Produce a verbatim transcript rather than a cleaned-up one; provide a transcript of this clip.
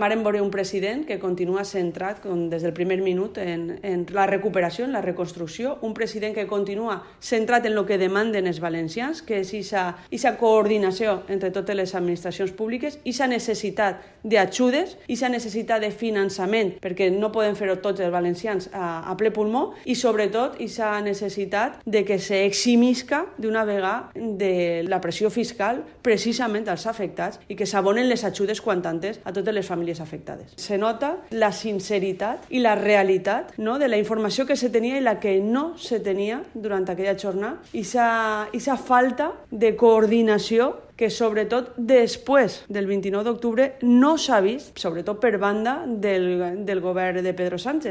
Vàrem veure un president que continua centrat com des del primer minut en, en la recuperació, en la reconstrucció, un president que continua centrat en el que demanden els valencians, que és aquesta coordinació entre totes les administracions públiques, aquesta necessitat d'ajudes, aquesta necessitat de finançament, perquè no podem fer-ho tots els valencians a, a ple pulmó, i sobretot aquesta necessitat de que s'eximisca d'una vegada de la pressió fiscal precisament als afectats i que s'abonen les ajudes quan antes a totes les famílies afectades. Se nota la sinceritat i la realitat, no?, de la informació que se tenia i la que no se tenia durant aquella jornada, i aquesta falta de coordinació que sobretot després del vint-i-nou d'octubre no s'ha vist, sobretot per banda del, del govern de Pedro Sánchez.